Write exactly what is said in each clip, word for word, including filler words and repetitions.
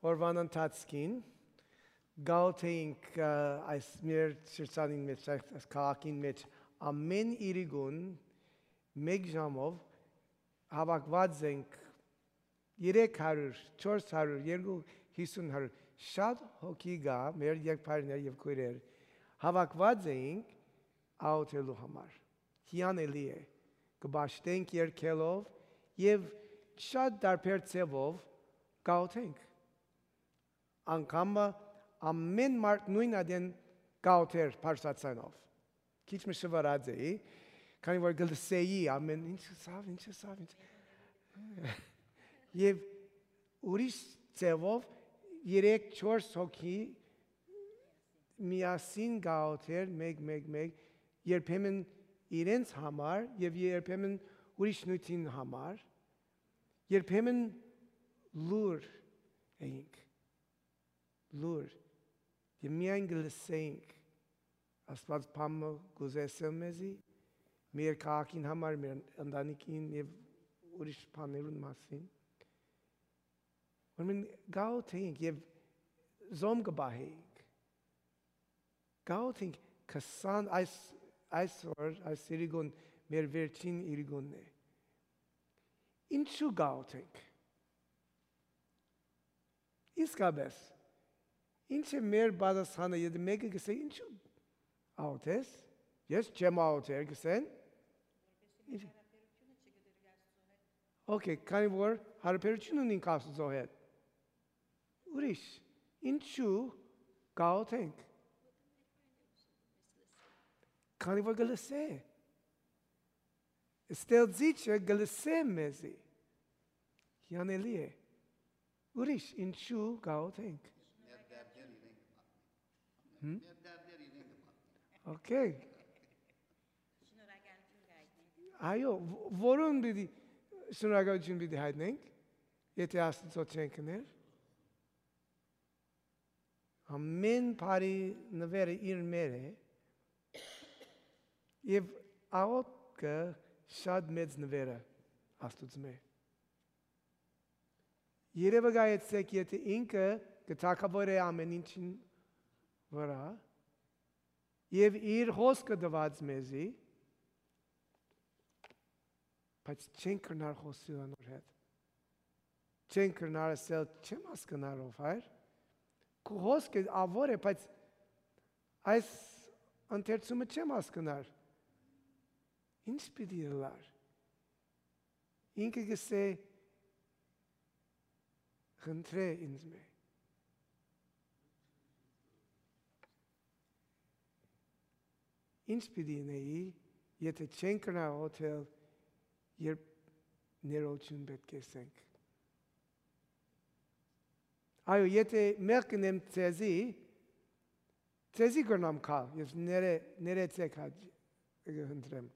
Օրուան ընթացքին, գաղութ էինք, ը, այս մեր շրջանին մէջ, այս քաղաքին մէջ, ամէն իրիկուն, մէկ ժամով, հաւաքուած ենք երեք հարիւր, չորս հարիւր, երկու հիսուն հարիւր, շատ հոգի կայ, մեր եղբայրներ եւ քոյրեր, հաւաքուած էինք աղօթելու համար։ Հիանալի է, կը պաշտենք երգելով եւ շատ տարբեր ձեւով կ'աղօթենք։ Անգամ մը ամէն մարդ նոյն ատեն կ'աղօթէր բարձրաձայնով։ Քիչ մը շուռած էի, քանի որ կը լսէի ամէն ինչ ըսաւ, ինչ ըսաւ, ինչ։ Եւ ուրիշ ձեւով երեք, չորս հոգի միասին կ'աղօթէր, մէկ, մէկ, մէկ, երբեմն իրենց համար եւ երբեմն ուրիշ նիւթին համար, երբեմն լուռ էինք, լուռ, եւ միայն կը լսէինք Աստուած բան մը կ'ուզէ ըսել մեզի, մեր քաղաքին համար, մեր ընտանիքին եւ ուրիշ բաներուն մասին։ Ուրեմն կ'աղօթէինք եւ զոհում կը պահէինք։ Կ'աղօթենք քսան, այս, այսօր, այս իրիկուն մեր վերջին իրիկունն է։ Ինչու կ'աղօթենք։ Իսկապէս, ինչ է մեր պատասխանը, եթէ մէկը կ'ըսէ, «Ինչու աղօթես»։ «Ես չեմ աղօթեր», կ'ըսեն։ Ինչ։ Օքեյ, քանի որ յարաբերութիւն ունինք Աստուծոյ հետ։ Ուրիշ, ինչու կ'աղօթենք։ Քանի որ կը լսէ։ Ստեղծիչը կը լսէ մեզի։ Հիանալի է։ Ուրիշ, ինչու կ'աղօթենք։ Մեր դերդեր իրեն կը պատմեն։ Հմ։ Մեր դերդեր իրեն կը պատմեն։ Օքեյ։ Շնորհակալություն կ'այտնենք։ Այո, ո-, որուն պիտի շնորհակալություն պիտի հայտնենք, եթէ Աստուծոյ չենք ըներ։ Ամէն բարի նուէրը իր մեր է, եւ աղօթքը շատ մեծ նուէրը Աստուծմէ։ Երեւակայեցէք, եթէ ինքը կը թագաւորէ ամէն ինչին վրայ, եւ իր խօսքը տուած մեզի, բայց չենք կրնար խօսիլ անոր հետ։ Չենք կրնար ըսել, «Չեմ հասկնար, ով Հայր»։ Քու խօսքը աղօթք է, բայց այս ընթերցումը չեմ հասկնար։ Ինչ պիտի ըլլար։ Ինքը կ'ըսէ, «Խնդրէ ինձմէ»։ Ինչ պիտի ընէի, եթէ չենք կրնար աղօթել, երբ ներողութիւն պէտք է ըսենք։ Այո, եթէ մեղք կ'ընեմ ձեզի, ձեզի կրնամ գալ, ես ներե-, ներեցեք հաճ-, կը խնդրեմ։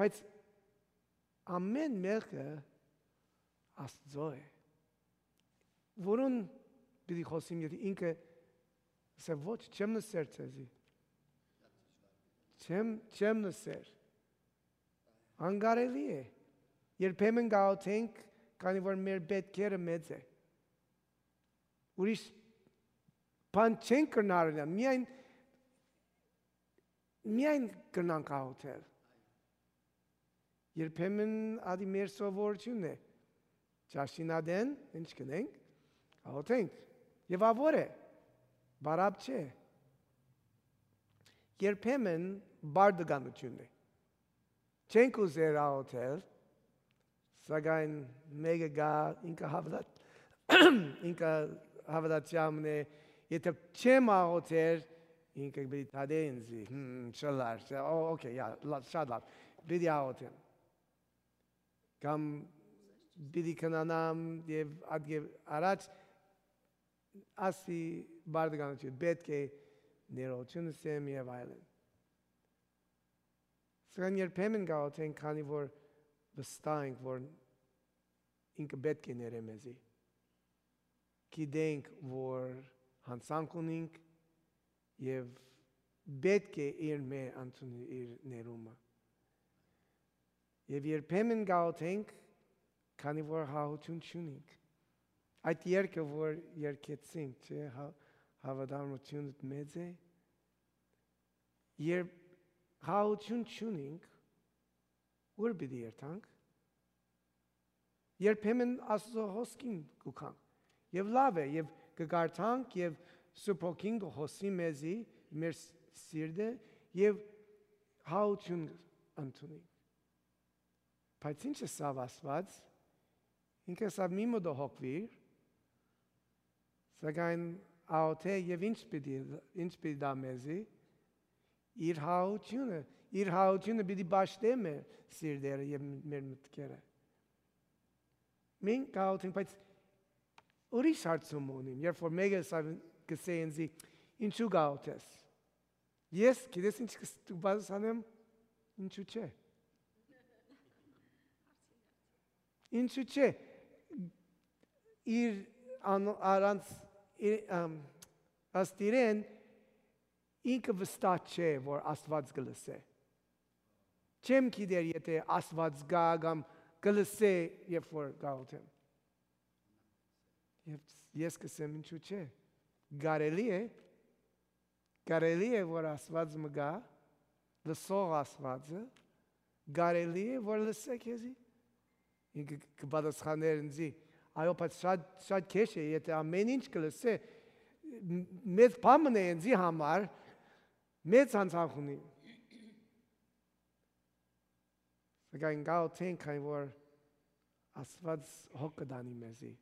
Բայց ամէն մեղքը Աստուծոյ է։ Որուն պիտի խօսիմ, եթէ ինքը ըսէ, «Ոչ, չեմ նսեր ձեզի»։ Չեմ, չեմ նսեր։ Անկարելի է։ Երբեմն կ'աղօթենք, քանի որ մեր պէտքերը մեծ է։ Ուրիշ բան չենք կրնար ընել, միայն, միայն կրնանք աղօթել։ Երբեմն ատի մեր սովորութիւնն է։ Ճաշին ատեն, ինչ կ'ընենք, աղօթենք։ Եւ աղօթք է, պարապ չէ։ Երբեմն բարդականութիւնն է։ Չենք ուզեր աղօթել, սակայն մէկը գայ, ինքը հաւատա-, ինքը հաւատացեալ մնայ, եթէ չեմ աղօթեր, ինքը պիտի դատէ ինձի, հմ, չըլլար, չէ, օ-, օքեյ, յա, լա-, շատ լաւ, պիտի աղօթեմ։ Կամ պիտի քնանամ եւ ատկե առաջ ասի բարդականութիւն, պէտք է ներողութիւն ըսեմ եւ այլն։ Սակայն երբեմն կ'աղօթենք, քանի որ վստահ ենք, որ ինքը պէտք է ներէ մեզի։ Գիտենք, որ յանցանք ունինք եւ պէտք է իրմէ ընդունի իր ներումը։ Եւ երբեմն կ'աղօթենք, քանի որ հաղորդութիւն չունինք։ Այդ երգը, որ երգեցինք, չէ՞, հա-, հաւատարմութիւնդ մեծ է, երբ խաղաղութիւն չունինք, ո՞ւր պիտի երթանք։ Երբեմն Աստուծոյ հոսքին կու գանք։ Եւ լաւ է, եւ կը կարդանք, եւ Սուրբ Հոգին կը խօսի մեզի, մեր ս-, սիրտը, եւ խաղաղութիւն ընդունինք։ Բայց ինչ ըսաւ Աստուած, ինքը ըսաւ՝ «Մի մտը հոգուիր», սակայն աղօթե եւ ինչ պիտի, ինչ պիտի տայ մեզի։ Իր խաղաղութիւնը, իր խաղաղութիւնը պիտի պաշտէ մեր սիրտերը եւ մեր մտքերը։ Մենք կաղօթենք, բայց ուրիշ հարցում ունիմ, երբ որ մէկը սա կ'ըսէ ինձի, «Ինչու կաղօթես»։ Ես, գիտես ինչ կս-, կը պատասխանեմ, «Ինչու՞ չէ»։ Ինչու՞ չէ։ Իր անո-, առանց, իր, ըմ, ըստ իրեն, ինքը վստահ չէ, որ Աստուած կը լսէ։ Չեմ գիտեր, եթէ Աստուած գայ կամ կը լսէ, երբ որ կաղօթեմ։ Եւ ես կ'ըսեմ, «Ինչու՞ չէ»։ Կարելի է, կարելի է, որ Աստուած մը գայ, լսող Աստուածը, կարելի է, որ լսէ քեզի։ Ինքը կը պատասխանէր ինձի, «Այո, բայց շատ, շատ քեշ է, եթէ ամէն ինչ կը լսէ, մ-, մեծ բան մըն է ինձի համար, մեծ անցանք ունի»։ Սակայն կաղօթենք, քանի որ Աստուած հոգ կը տանի մեզի,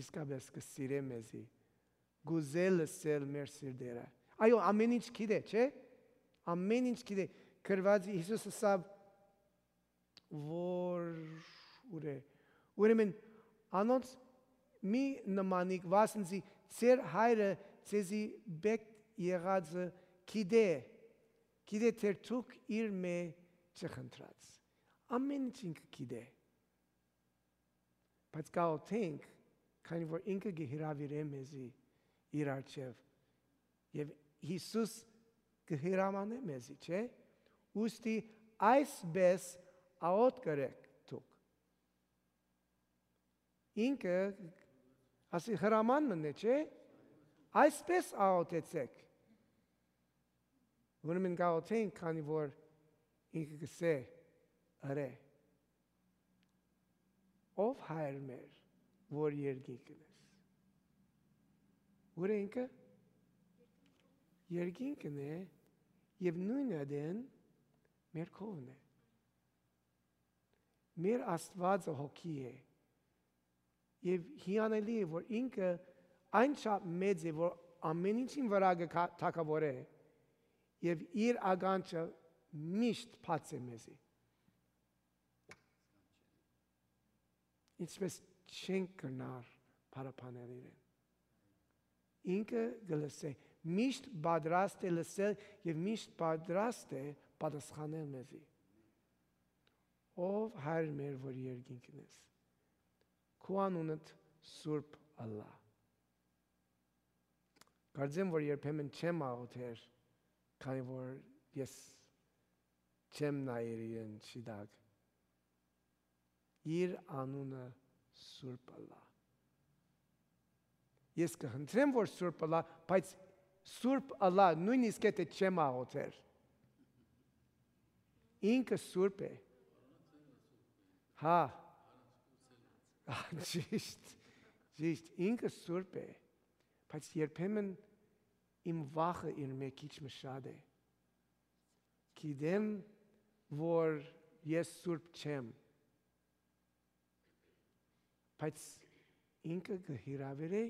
իսկապէս կը սիրէ մեզի, կ'ուզէ լսել մեր սիրտերը։ Այո, ամէն ինչ գիտէ, չէ՞։ Ամէն ինչ գիտէ։ Գրուած է, Յիսուս ըսաւ, որ ուրե։ Ուրեմն անոնց մի նմանիք, վասն զի ձեր հայրը ձեզի բեկ եղածը գիտէ, գիտէ թեր դուք իրմէ չխնդրած։ Ամէն ինչ ինքը գիտէ։ Բայց կաղօթենք, քանի որ ինքը կը հրաւիրէ մեզի իր առջեւ։ Եւ Յիսուս կը հրամանէ մեզի, չէ՞։ Ուստի այսպէս աղօթք ըրէք դուք։ Ինքը, ասի, հրաման մըն է, չէ՞։ Այսպէս աղօթեցէք։ Ուրեմն կաղօթենք, քանի որ ինքը կ'ըսէ, ըրէ։ Ով Հայր մեր, որ երկինքն ես։ Ո՞ւր է ինքը։ Երկինքն է, եւ նոյն ատեն մեր քովն է։ Մեր Աստուածը հոգի է, եւ հիանալի է, որ ինքը այն չափ մեծ է, որ ամէն ինչին վրայ կը թագաւորէ, եւ իր ականջը միշտ բաց է մեզի։ Ինչպէս չենք կրնար փառաբանել իրեն։ Ինքը կը լսէ, միշտ պատրաստ է լսել եւ միշտ պատրաստ է պատասխանել մեզի։ Ով Հայր մեր, որ երկինքն ես, քու անունդ սուրբ ըլլայ։ Կարծեմ, որ երբեմն չեմ աղոթեր, քանի որ ես չեմ նայեր իրեն շիտակ։ Իր անունը սուրբ ըլլայ։ Ես կը խնդրեմ, որ սուրբ ըլլայ, բայց սուրբ ըլլայ, նոյնիսկ եթե չեմ աղոթեր։ Ինքը սուրբ է։ Հա։ Ճիշտ, ճիշտ, ինքը սուրբ է, բայց երբեմն իմ վախը իր մէ քիչ մը շատ է։ Գիտեմ, որ ես սուրբ չեմ, բայց ինքը կը հրաւիրէ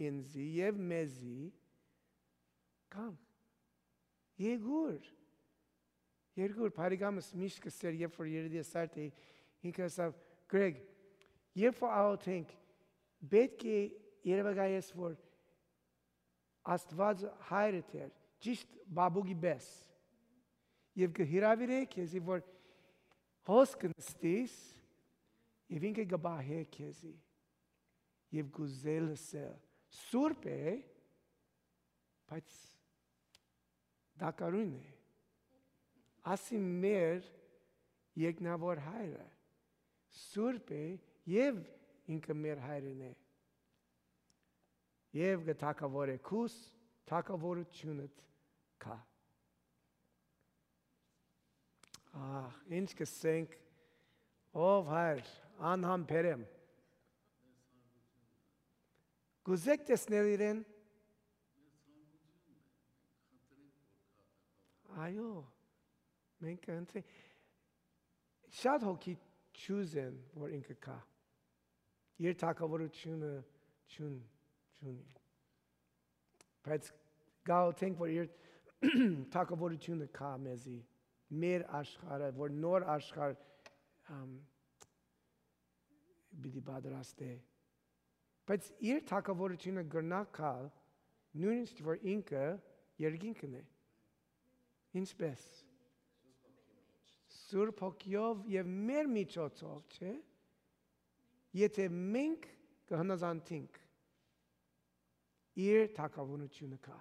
ինձի եւ մեզի կանգ։ Երկուր, երկուր, բարեկամս միշտ կ'ըսէր, երբ որ երիտասարդ էի, ինքը ըսաւ, «Գրեգ, երբ որ աղոթենք, պէտք է երևակայես, որ Աստուած հայրդ էր, ճիշտ բաբուկի պէս, եւ կը հրաւիրէ քեզի, որ հոս կը նստիս, եւ ինքը կը պահէ քեզի, եւ կ'ուզէ լսել։ Սուրբ է, բայց տակարուն է։ Ասի մեր երկնաւոր հայրը սուրբ է, եւ ինքը մեր հայրն է, Եւ կը թագաւորէ քուս, թագաւորութիւնդ գայ։ Ահ, ինչ կ'ըսենք, ով հայր, անհամբեր եմ։ Կ'ուզե՞ք տեսնել իրեն։ Այո, մենք կ'ընտրենք։ Շատ հոգի չուզեն, որ ինքը գայ։ Իր թագաւորութիւնը չուն-, չունի։ Բայց կ'աղօթենք, որ իր թագաւորութիւնը գայ մեզի, մեր աշխարհը, որ նոր աշխարհ, ամ, պիտի պատրաստէ։ Բայց իր թագաւորութիւնը կրնայ գալ, նոյնիսկ որ ինքը երկինքն է։ Ինչպե՞ս։ Սուրբ Հոգիով եւ մեր միջոցով, չէ՞։ Եթէ մենք կը հնազանդենք, իր թագաւորութիւնը գայ։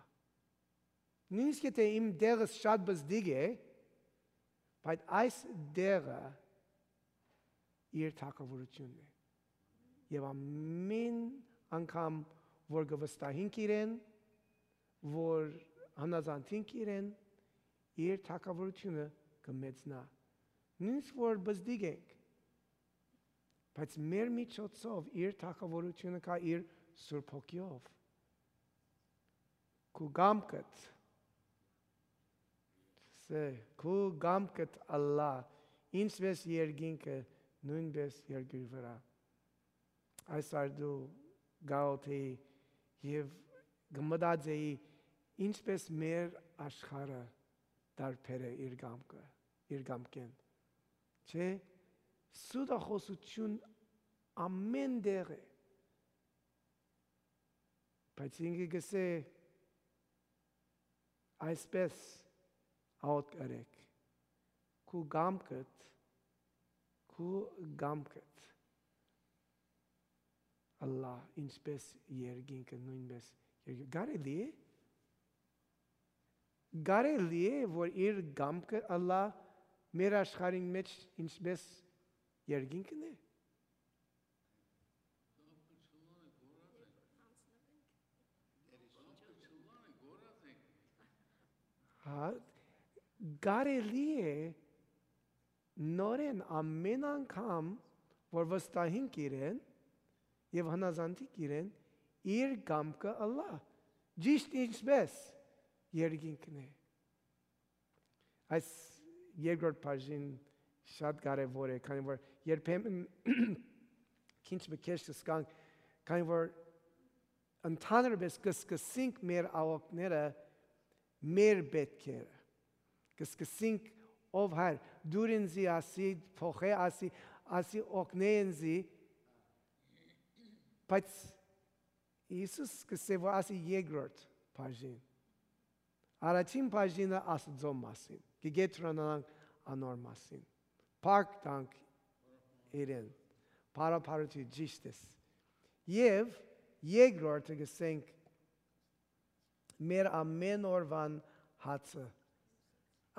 Նոյնիսկ եթէ իմ դեղս շատ բզդիկ է, բայց այս դեղը իր թագաւորութիւնն է։ Եւ ամէն անգամ որ կը վստահենք իրեն, որ հնազանդենք իրեն, իր թագաւորութիւնը կը մեծնայ։ Նոյնիսկ որ բզդիկ ենք, բայց մեր միջոցով իր թագաւորութիւնը գայ իր Սուրբ Հոգիով։ Քու կամքդ, սէ, քու կամքդ ըլլայ, ինչպէս երկինքը, նոյնպէս երկրի վրայ։ Այս արդու կ'աղօթէի եւ կը մտածէի, ինչպէս մեր աշխարհը տարբեր է իր կամքը, իր կամքէն։ Չէ՞, սուտախօսութիւն ամէն տեղ է։ Բայց ինքը կ'ըսէ, այսպէս աղօթք ըրէք. «Քու կամքդ, քու կամքդ ըլլայ, ինչպէս երկինքը, նոյնպէս երկինքը»։ Կարելի՞ է։ Կարելի՞ է, որ իր կամքը ըլլայ մեր աշխարհին մէջ, ինչպէս երկինքն է։ Հա, կարելի՞ է նորէն ամէն անգամ, որ վստահենք իրեն եւ հնազանդենք իրեն, իր կամքը ըլլայ, ճիշդ ինչպէս երկինքն է։ Այս երկրորդ բաժին շատ կարեւոր է, քանի որ երբեմն քինչ մը քեշ կ'զգանք, քանի որ ընդհանրապես կը սկսենք մեր աղօթքները մեր պէտքերը։ Կը սկսենք, «Ով Հայր, դուր ինծի ասի, փոխէ ասի, ասի օգնէ ինծի», բայց Յիսուս կ'ըսէ, որ ասի երկրորդ բաժին։ Առաջին բաժինը Աստուծոյ մասին, կը գետրոնանանք անոր մասին, փառք տանք իրեն, փառաբարութի ճիշտ ես։ Եւ երկրորդը կ'ըսենք, մեր ամէն օրուան հացը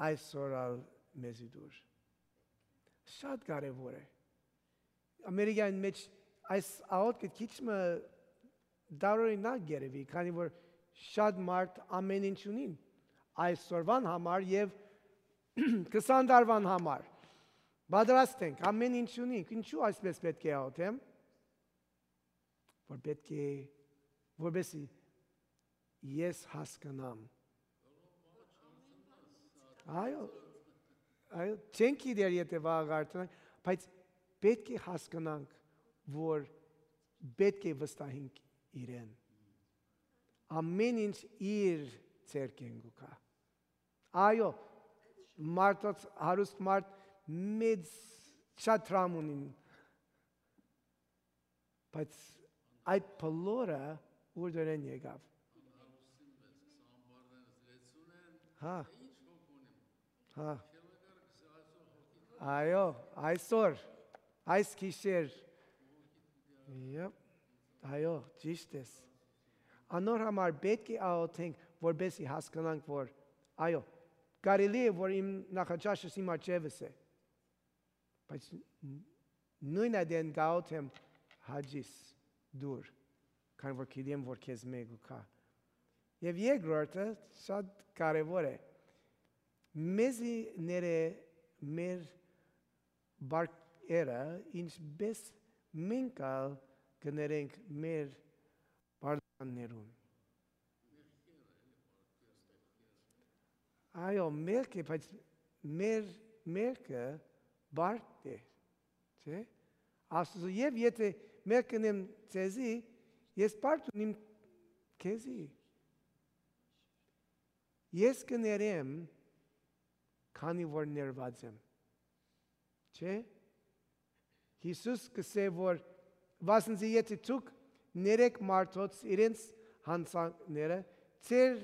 այսօր ալ մեզի տուր։ Շատ կարեւոր է։ Ամերիկայէն մէջ այս աղօթքը քիչ մը տարօրինակ կ'երեւի, քանի որ շատ մարդ ամէն ինչ ունին այսօրուան համար եւ քսան տարուան համար։ Պատրաստ ենք, ամէն ինչ ունենք, ինչու այսպես պէտք է աղօթեմ, որ պէտք է, որպեսզի ես հասկնամ։ Այո, այո, չենք գիտեր, եթէ վաղը կարդանանք, բայց պէտք է հասկնանք, որ պէտք է վստահենք իրեն։ Ամէն ինչ իր ձեռքէն կու գայ։ Այո, մարդոց հարուստ մարդ մեծ շատ դրամ ունին, բայց այդ բոլորը ուրդորեն եկաւ։ Հա։ Հա։ Այո, այսօր, այս գիշեր։ Եփ, այո, ճիշտ ես։ Անոր համար պէտք է աղօթենք, որպեսզի հասկնանք, որ, այո, կարելի է, որ իմ նախաճաշս իմ առջեւս է, բայց ն-, նոյն այդեն կ'աղօթեմ, «Հաճիս, դուր, քանի որ գիտեմ որ քեզմէ կու գայ։ Եւ երկրորդը շատ կարեւոր է։ Մեզի ներէ մեր բարքերը, ինչպէս մենք ալ կը ներենք մեր բարդաներուն։ Այո, մեղք է, բայց մեր մեղքը բարդ է, չէ՞։ Աստուծո, եւ եթե մեղք կ'ընեմ ձեզի, ես բարդ ունիմ քեզի։ Ես կը ներեմ, քանի որ ներուած եմ, չէ՞։ Յիսուս կ'ըսէ որ, վասն զի եթե դուք ներեք մարդոց իրենց յանցանքները, ձեր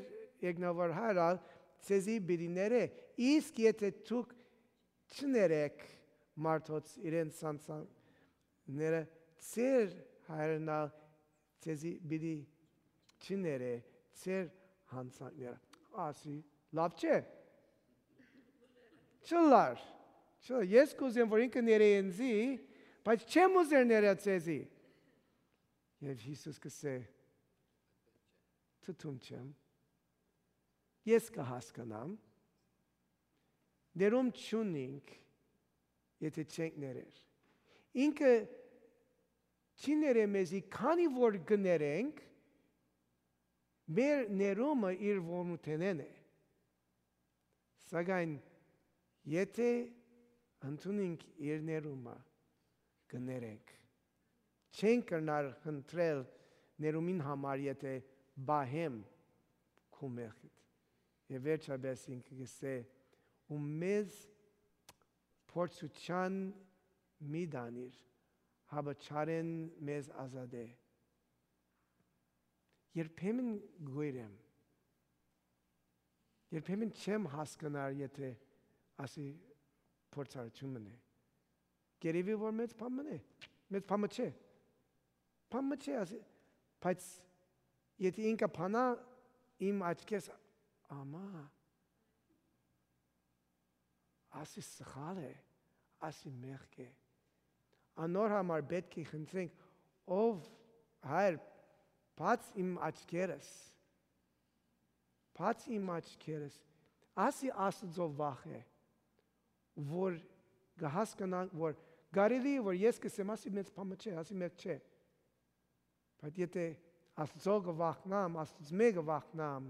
երկնաւոր Հայր ալ ձեզի պիտի ներէ, իսկ եթե դուք չներեք մարդոց իրենց յանցանքները, ձեր Հայրն ալ ձեզի պիտի չներէ ձեր յանցանքները։ Ասի, լաւ չէ։ Չլար, չլար, ես կ'ուզեմ որ ինքը ներէ ինծի, բայց չեմ ուզեր ներէ ձեզի։ Եւ Յիսուս կ'ըսէ. «Թթուն չեմ, ես կը հասկնամ, ներում չունինք, եթե չենք ներեր»։ Ինքը չի ներէ մեզի, քանի որ կը ներենք, մեր ներումը իր որմութենէն է։ Սակայն եթե ընդունենք իր ներումը, կը ներենք։ Չենք կրնար խնդրել ներումին համար, եթե պահեմ քու մեղքդ։ Եւ վերջապէս ինքը կ'ըսէ. «Ու մեզ փորձութեան մի տանիր, հապա չարէն մեզ ազատէ»։ Երբեմն կ'ոյր եմ, երբեմն չեմ հասկնար, եթե ասի փորձառութիւն մըն է։ Գերեւի որ մեծ բան մըն է, մեծ բան մը չէ, բան մը չէ, ասի, բայց եթե ինքը փանայ իմ աչքերս, ամա, ասի սխալ է, ասի մեղք է։ Անոր համար պէտք է խնդրենք. «Ով Հայր, բաց իմ աչքերս, բաց իմ աչքերս»։ Ասի Աստուծոյ վախ է, որ կը հասկնանք որ կարելի է որ ես կ'ըսեմ, ասի մեծ բան մը չէ, ասի մեղք չէ, բայց եթե Աստուծոյ կը վախնամ, Աստուծմէ կը վախնամ,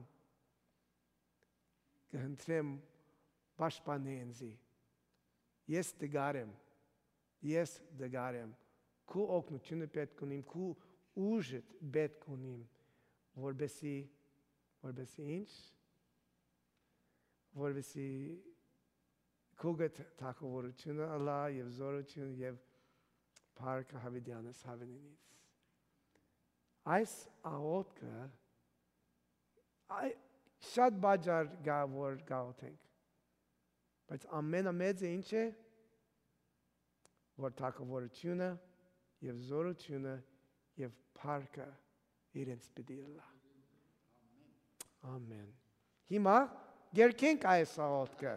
կը խնդրեմ. «Պաշտպանէ ինծի, ես տկար եմ, ես տկար եմ, քու օգնութիւնը պէտք ունիմ, քու ուժդ պէտք ունիմ, որպեսի, որպեսի ինչ, որպեսի քու գ-, թագաւորութիւնը ըլլայ եւ զօրութիւնը եւ փառքը յաւիտեանս յաւիտենիցս»։ Այս աղօթքը, այ, շատ բաճար կայ որ կ'աղօթենք, բայց ամենամեծը ինչ է, որ թագաւորութիւնը եւ զօրութիւնը եւ փառքը իրենց պիտի ըլլայ։ Ամեն։ Հիմա կերկենք այս աղօթքը։